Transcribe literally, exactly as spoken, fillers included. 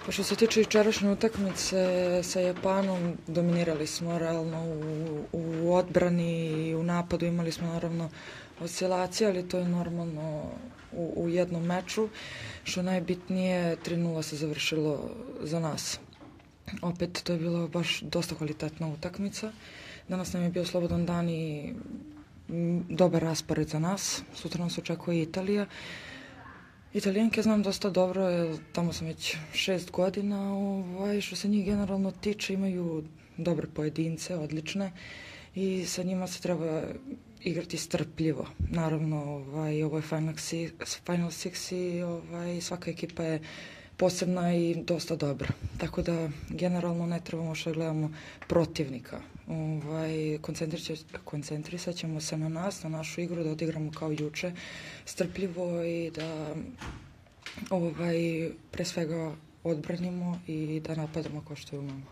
Pa što se tiče jučerašnje utakmice sa Japanom, dominirali smo realno u, u odbrani i u napadu, imali smo naravno oscilacije, ali to je normalno u, u jednom meču. Što najbitnije, tri nula se završilo za nas. Opet, to je bilo baš dosta kvalitetna utakmica. Danas nam je bio slobodan dan i dobar raspored za nas. Sutra nas očekuje Italija. Italijanke znam dosta dobro, tamo sam već šest godina, ovaj, što se njih generalno tiče, imaju dobre pojedince, odlične, i sa njima se treba igrati strpljivo. Naravno, ovaj, ovo je Final Six, Final Six i ovaj, svaka ekipa je posebna i dosta dobra. Tako da, generalno ne trebamo što gledamo protivnika. Ovaj, koncentrisat ćemo se na nas, na našu igru, da odigramo kao juče, strpljivo i da ovaj, pre svega odbranimo i da napadamo kao što je umemo.